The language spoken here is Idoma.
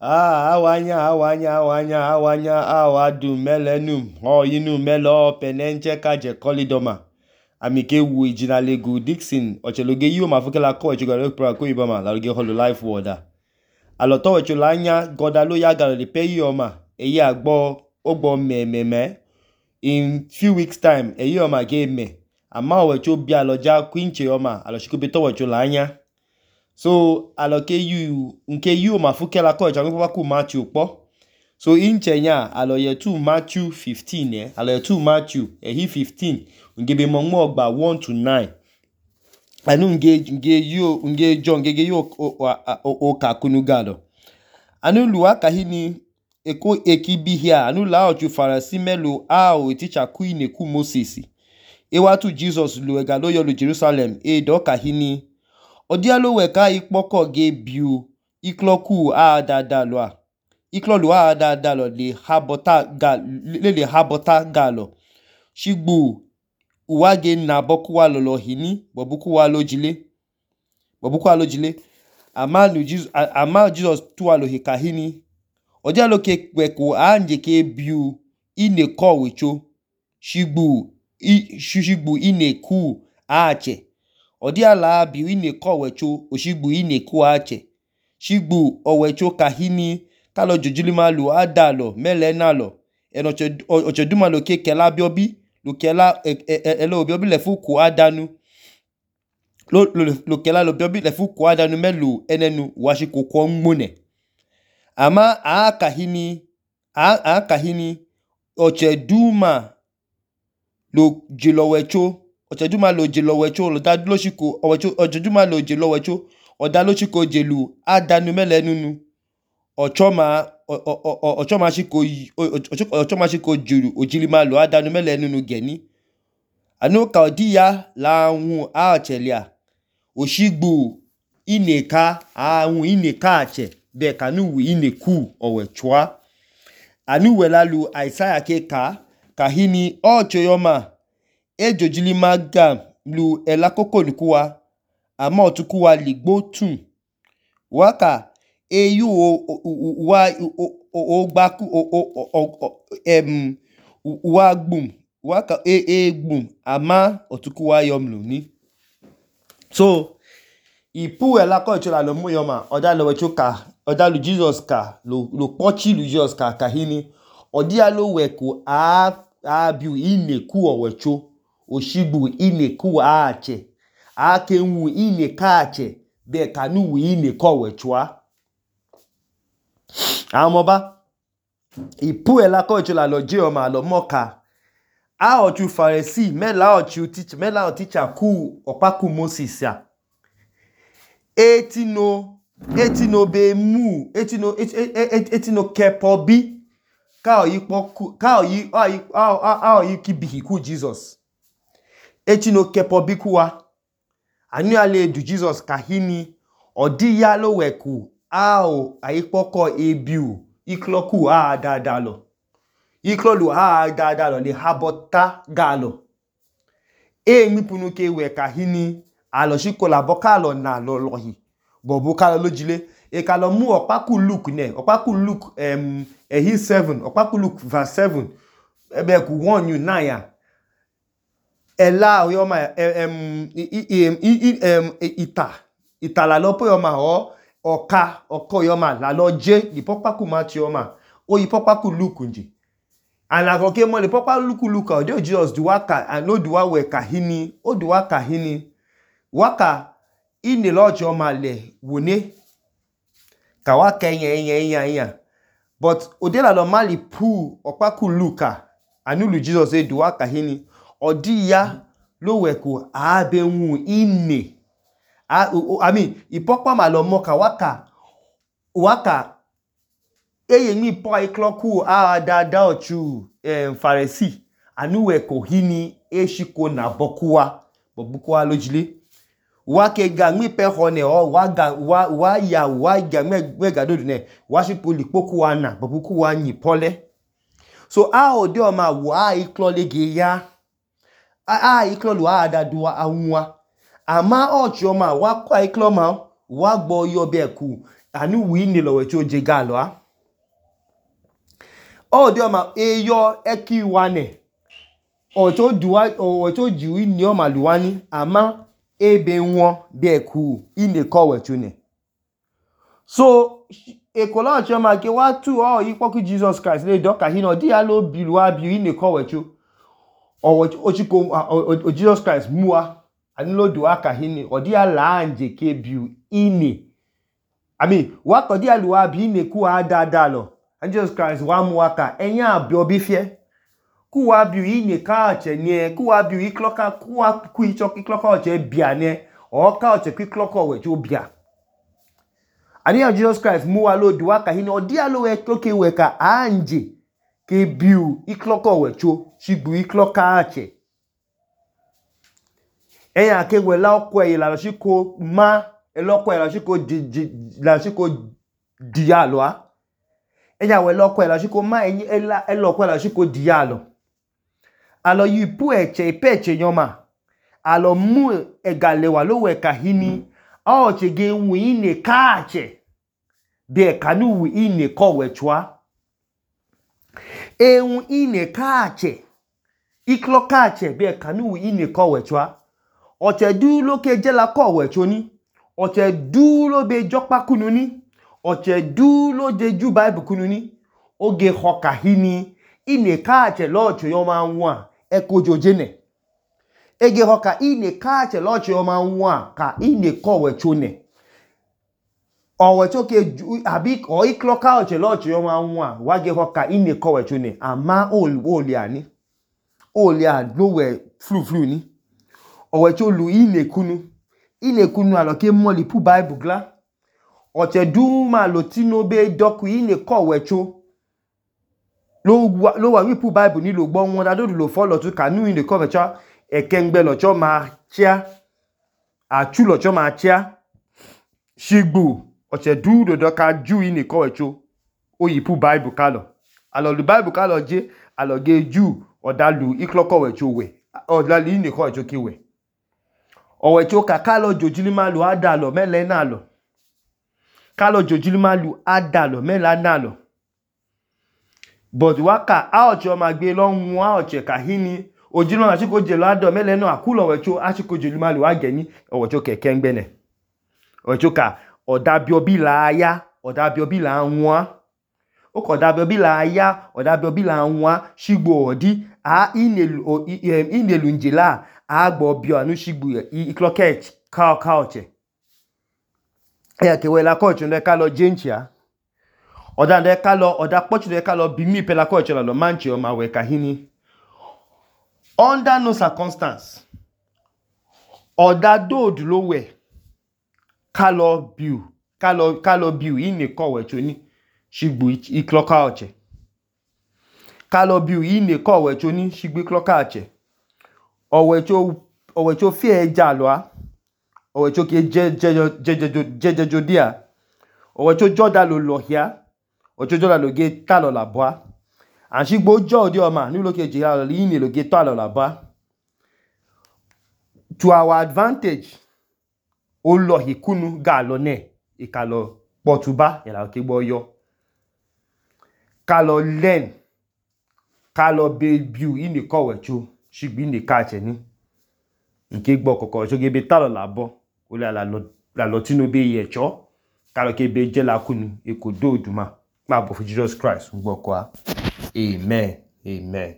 Awanya, awadu melenum, yinu melo penenche kaje kolidoma. Amike wu ijinalegu Dixon, ocheloge yu mafukela ko echugalo pra ko ibama, laloge holo life water. Aloto echolanya godalo yagalo de peyi oma, eye agbo ogbo me. In few weeks time, eye oma ge me. Ama wecho bia aloja kwinche oma, aloshikubeto wecholanya. So aloke yu mafukela ko echugalo ku Matthew po. So inche nya aloye 2 Matthew 15 aloye 2 Matthew ehi 15 ngebe mongo ogba 1 to 9. Anu nge John ngege yu o kakunugado. Anu luwa kahini ekibihia anu la ochu Farisi melu o teacher kuine ku Moses. Ewatu Jesus lu egalo yo lu Jerusalem do kahini odialo weka ikpoko ge biu ikloku dadalwa. Iklolu dadalo le habota galo. Shigbu uwage na bokuwa lolo hini bobukuwa lojile. Ama Jesus tuwa lo hikahini. Odialo ke kweku anje ke biu ine ko wicho. Shigbu ine ku ache. Odiala biu ine ko wicho. Oshigbu ine ku ache. Shigbu owecho kahini. Kalo jojulimalu adalo melenalo eno ochodumalo ke kela biobi lu kela elo biobi lefu ku adanu lo kela lo biobi lefu ku adanu melu enenu washiko kwa ngmone. Ama akahini ochoduma lo jilowecho lo dadulo shiko ochoduma lo jilowecho odalo shiko jelu adanu melenunu. Ochoma shiko juru ojilimalu adanu mele nunu geni. Anu ka odiya la wu achelia. Oshigbu ineka wu ineka ache be kanu wu ineku owechwa. Anu welalu Isaiah ke kahini ochoyoma ejojilima gam lu elakoko nukuwa ama otukuwa ligbotu. Waka eyu wa gbum waka gbum ama otukuwa yomlu ni. So ipu elako echola lo mu yoma odalo wechoka odalu Jesus ka lo pochi lu Jesus ka kahini odialo weku biu ine ku owecho oshigbu ine ku ache akenwu ine ka ache be kanu wu ine ko wechwa. Amoba ipu elako echola lo jeoma lo moka ochu Farisi mela teacher ku opaku Moses ya. Etino kepobi ka oyi kibihi ku Jesus. Etino kepobi kuwa anu ale du Jesus kahini odiya lo weku ayikpoko ebiu ikloku dadalo. Iklolu dadalo le habota galo. Mipunu ke we kahini aloshiko la bokalo na lolohi. Bobukalo lojile. Kalo mu opaku Luke ne. Opaku Luke ehi 7. Opaku Luke verse 7. Ebe ku 1 you 9 ya. Ela oyoma ita la lopo yoma oko yoma la loje di popaku Matthew yoma o yi popaku Luke nji. Anagoke mo le popaku Luke o de Jesus duwaka and no duwa we kahini o duwa kahini waka ine loje yoma le wone ka waka enya but odela lo mali pu opaku Luke anulu Jesus duwa kahini odiya lo weku abenwu ine ipokpa malo moka waka eyemi po ikloku dada ochu Farisi anu weko hini eshiko na bobukuwa lojile. Wake ga mi pe hone wa ya mega dodu ne wa shipo lipoku wa na bobuku wa nyi pole. So ode oma wa iklolege ya iklolu dadu anwa ama ochioma wa kwa ikloma wa gbo yobeku anu wi ine lo wecho je ga lo a o de ma eyo eki wane ocho duwa ocho ji ine o ma luwani ama ebe won be ku ine ko wecho ne so ekola ocho ma ke wa tu o ipoku Jesus Christ le doka hino di ya lo bi luwa bi ine ko wecho o Jesus Christ muwa ani lo duwa ka hini odi ya la anje ke bi ine wa ko di ya luwa bi ine ku a dada lo and Jesus Christ wa muwa ka enya abi obi fie ku wa bi ine ka ache ne ku wa bi ikloka ku wa ku icho ikloka oche bia ne o ka oche ku ikloka wecho bia ani ya Jesus Christ muwa lo duwa ka hini odi ya lo we toke we ka anje ke bi ikloka wecho shigbu ikloka ache enya ke we la okwe la shiko ma elokwe la shiko dialo enya we lokwe la shiko ma elokwe la shiko dialo alo yipu eche ipeche nyoma alo mu egalewa lo we kahini o chege wi ine kaache be kanu wi ine ko wechwa ewu ine kaache iklo kaache be kanu wi ine ko wechwa oche du lo ke jela ko wecho ni oche du lo be jokpa kunu ni oche du lo de ju bible kunu ni oge hoka hini ine kaache lo cho yo ma nwa ekojo jene ege hoka ine kaache lo cho yo ma nwa ka ine ko wecho ne o wecho ke abi o iklo kaache lo cho yo ma nwa wa ge hoka ine ko wecho ne ama oli ani oli a lo we flu ni o wecho lu ine kunu aloke moli pu bible gla oche du ma lo tino be doku ine ko wecho lo wa wi pu bible ni lo gbo won da do lo follow tu kanu ine ko wecho ekengbe lo cho ma chia achu lo cho ma chia shigbu oche du do doka ju ine ko wecho o yi pu bible kalo alo lu bible kalo je alo ge ju odalu ikloko wecho we odalu ine ko wecho ki we owecho ka kalo jojilimalu adalo mele nalo kalo jojilimalu adalo mele nalo but waka aocho ma gbe lo nwu aoche ka hini ojilimalu achiko je lo ado mele no akulo wecho achiko jojilimalu ageni owecho keke ngbene owecho ka odabi obi la aya odabi obi la nwa o ko dabi obi la aya odabi obi la nwa shigbo odi a inelu njela agbo bio anu shigbu ikloket ka oche eya ke we la ko oche nde ka lo jenchia oda nde ka lo oda pochu nde ka lo bi mi pe la ko oche lo manchi o ma we ka hini under no circumstance oda dod lo we ka lo biu ine ko wecho ni shigbu ikloka oche ka lo biu ine ko wecho ni shigbu ikloka oche owecho fie jalo a owecho ke jejejo dia owecho joda lo lohia owecho joda lo ge talo la boa anshigbo jo di o ma ni lo ke je lo ine lo ge talo la boa to our advantage o lo hikunu ga lo ne ikalo potuba ela ke gbo yo kalo len kalo be biu ine ko wecho shigbi ine kaache ni nke gbo koko so ge be talo labo o la lo tinu be yecho kalo ke be je la kunu e ko do oduma ma bo fu Jesus Christ gbo ko a amen